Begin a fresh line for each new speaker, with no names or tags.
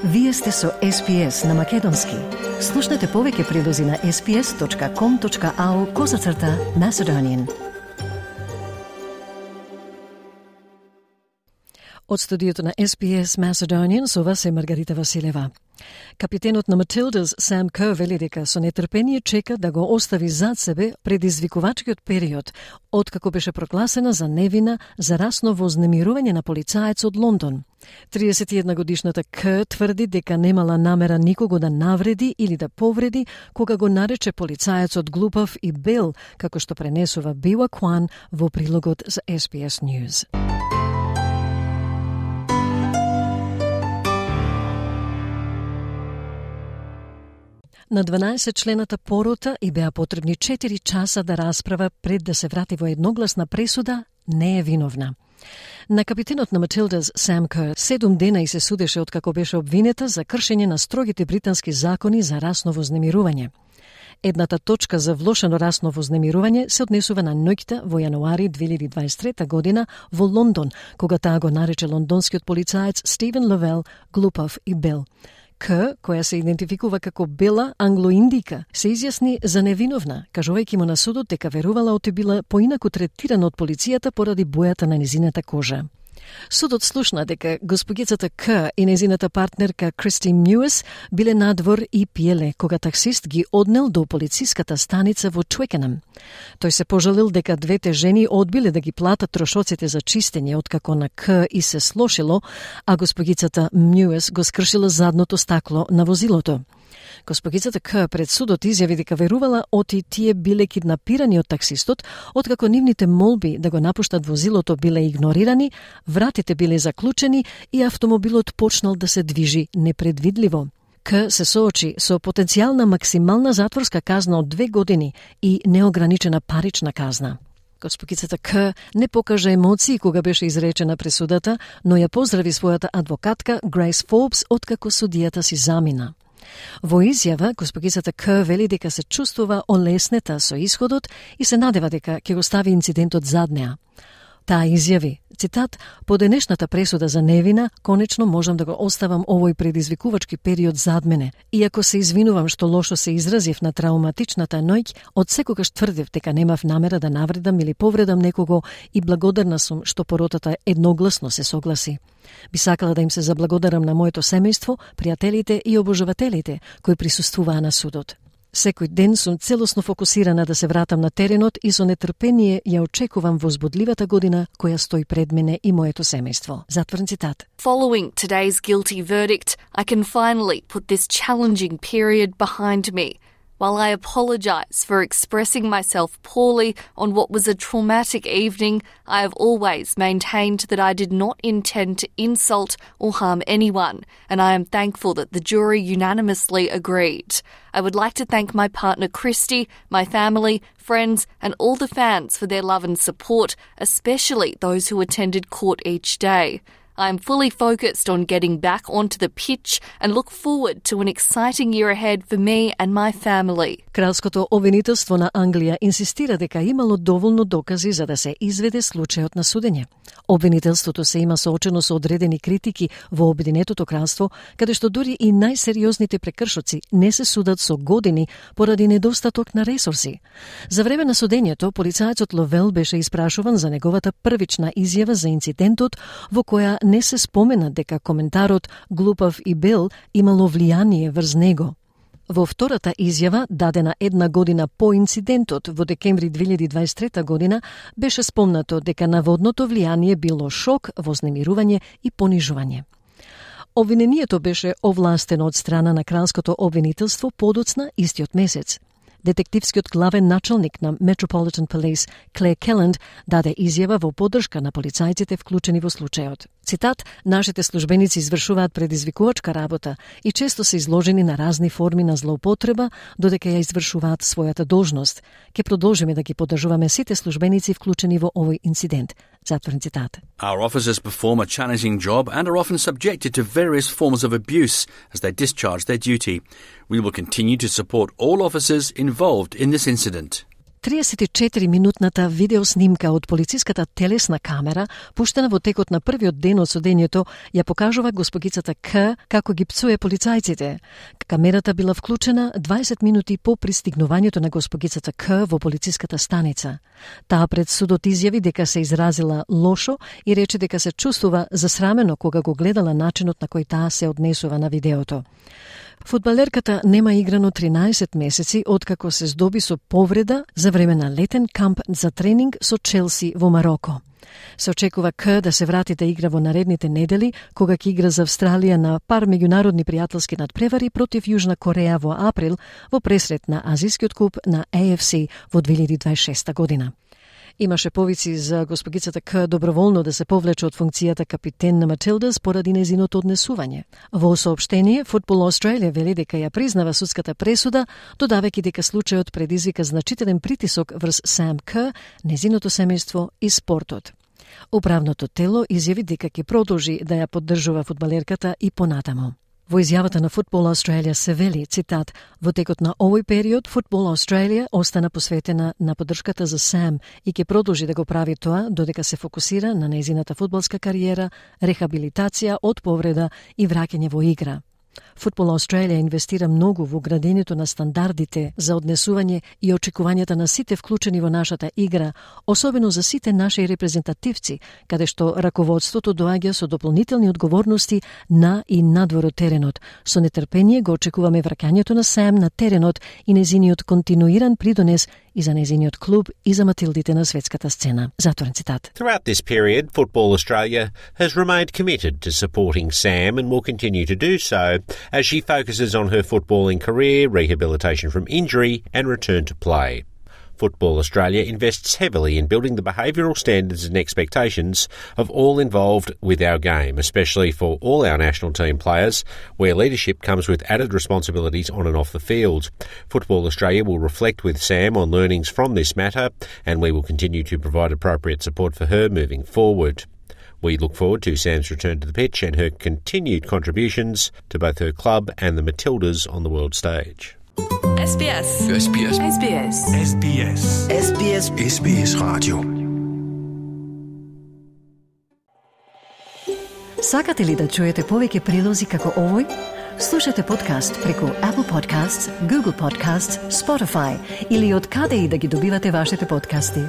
Вие сте со SPS на Македонски. Слушнете повеќе прилози на sps.com.au/Macedonian. Од студиото на SPS Macedonian со вас е Маргарита Василева. Капитенот на Matildas Sam Kerr вели дека со нетрпение чека да го остави зад себе предизвикувачкиот период, откако беше прогласена за невина за расно вознемирување на полицаец од Лондон. 31-годишната Kerr тврди дека немала намера никого да навреди или да повреди кога го нарече полицаецот глупав и бел, како што пренесува Biwa Kwan во прилогот за SBS News. На 12-члената порота и беа потребни 4 часа да расправа пред да се врати во едногласна пресуда, не е виновна. На капитенот на Matildas Sam Kerr 7 дена и се судеше откако беше обвинета за кршење на строгите британски закони за расно вознемирување. Едната точка за влошено расно вознемирување се однесува на ноќта во јануари 2023 година во Лондон, кога таа го нарече лондонскиот полицаец Стивен Ловел глупав и бел. Kerr, која се идентификува како бела англоиндика, се изјасни за невиновна, кажувајќи му на судот дека верувала оти била поинаку третирана од полицијата поради бојата на незината кожа. Судот слушна дека госпогицата Kerr и незината партнерка Кристи Мјуес биле надвор и пиеле кога таксист ги однел до полициската станица во Twickenham. Тој се пожалил дека двете жени одбиле да ги платат трошоците за чистење откако на Kerr и се слошило, а госпогицата Мјуес го скршила задното стакло на возилото. Госпогицата Kerr пред судот изјави дека верувала оти тие биле киднапирани од таксистот, откако нивните молби да го напуштат возилото биле игнорирани, вратите биле заклучени и автомобилот почнал да се движи непредвидливо. Kerr се соочи со потенцијална максимална затворска казна од 2 години и неограничена парична казна. Госпогицата Kerr не покажа емоции кога беше изречена пресудата, но ја поздрави својата адвокатка Grace Forbes откако судијата си замина. Во изјава, госпогицата Kerr вели дека се чувствува олеснета со исходот и се надева дека ќе го стави инцидентот зад неа. Таа изјави, цитат, по денешната пресуда за невина, конечно можам да го оставам овој предизвикувачки период зад мене. Иако се извинувам што лошо се изразив на трауматичната ноќ, од секогаш тврдев дека немав намера да навредам или повредам некого и благодарна сум што поротата едногласно се согласи. Би сакала да им се заблагодарам на моето семејство, пријателите и обожавателите кои присуствуваа на судот. Секој ден сум целосно фокусирана да се вратам на теренот и со нетрпение ја очекувам возбудливата година која стои пред мене и моето семејство. Затворен цитат.
Following today's guilty verdict, I can finally put this challenging period behind me. While I apologise for expressing myself poorly on what was a traumatic evening, I have always maintained that I did not intend to insult or harm anyone, and I am thankful that the jury unanimously agreed. I would like to thank my partner Christy, my family, friends, and all the fans for their love and support, especially those who attended court each day. I am fully focused on getting back onto the pitch and look forward to an exciting year ahead for me and my family.
Кралското обвинителство на Англија инсистира дека имало доволно докази за да се изведе случајот на судење. Обвинителството се има соочено со одредени критики во Обединетото кралство, каде што дури и најсериозните прекршоци не се судат со години поради недостаток на ресурси. За време на судењето, полицајецот Ловел беше испрашуван за неговата првична изјава за инцидентот во која не се спомена дека коментарот глупав и бел имало влијание врз него. Во втората изјава, дадена 1 година по инцидентот во декември 2023 година, беше спомнато дека наводното влијание било шок, вознемирување и понижување. Обвинението беше овластено од страна на кралското обвинителство подоцна истиот месец. Детективскиот главен началник на Metropolitan Police, Claire Kelland, даде изјава во поддршка на полицајците вклучени во случајот. Цитат, нашите службеници извршуваат предизвикувачка работа и често се изложени на разни форми на злоупотреба, додека ја извршуваат својата должност. Ке продолжиме да ги поддржуваме сите службеници вклучени во овој инцидент. Затворен цитат.
Our officers perform a challenging job and are often subjected to various forms of abuse as they discharge their duty. We will continue to support all officers involved in this incident.
34-минутната видеоснимка од полициската телесна камера, пуштена во текот на првиот ден од судењето, ја покажува госпогицата К како ги пцуе полицајците. Камерата била вклучена 20 минути по пристигнувањето на госпогицата К во полициската станица. Таа пред судот изјави дека се изразила лошо и рече дека се чувствува засрамено кога го гледала начинот на кој таа се однесува на видеото. Фудбалерката нема играно 13 месеци откако се здоби со повреда за време на летен камп за тренинг со Челси во Мароко. Се очекува К да се врати да игра во наредните недели, кога ќе игра за Австралија на пар меѓународни пријателски надпревари против Јужна Кореја во април во пресрет на Азискиот куп на AFC во 2026 година. Имаше повици за госпогицата К доброволно да се повлече од функцијата капитен на Матилдас поради незиното однесување. Во соопштение, Football Australia вели дека ја признава судската пресуда, додавајќи дека случајот предизвика значителен притисок врз Сам К, незиното семејство и спортот. Управното тело изјави дека ќе продолжи да ја поддржува фудбалерката и понатаму. Во изјавата на Football Australia се вели, цитат, во текот на овој период Football Australia остана посветена на поддршката за Сам и ќе продолжи да го прави тоа додека се фокусира на нејзината фудбалска кариера, рехабилитација од повреда и враќање во игра. Football Australia инвестира многу во градењето на стандардите за однесување и очекувањата на сите вклучени во нашата игра, особено за сите наши репрезентативци, каде што раководството доаѓа со дополнителни одговорности на и надвор од теренот. Со нетрпение го очекуваме враќањето на Сам на теренот и незиниот континуиран придонес и за незиниот клуб и за матилдите на светската сцена. Затворен цитат.
Throughout this period, Football Australia has remained committed to supporting Sam and will continue to do so as she focuses on her footballing career, rehabilitation from injury and return to play. Football Australia invests heavily in building the behavioural standards and expectations of all involved with our game, especially for all our national team players, where leadership comes with added responsibilities on and off the field. Football Australia will reflect with Sam on learnings from this matter, and we will continue to provide appropriate support for her moving forward. We look forward to Sam's return to the pitch and her continued contributions to both her club and the Matildas on the world stage.
SBS.
SBS.
SBS.
SBS.
SBS.
SBS Radio.
Сакате ли да чуете повеќе прилози како овој? Слушате подкаст преку Apple Podcasts, Google Podcasts, Spotify или од каде и да ги добивате вашите подкасти.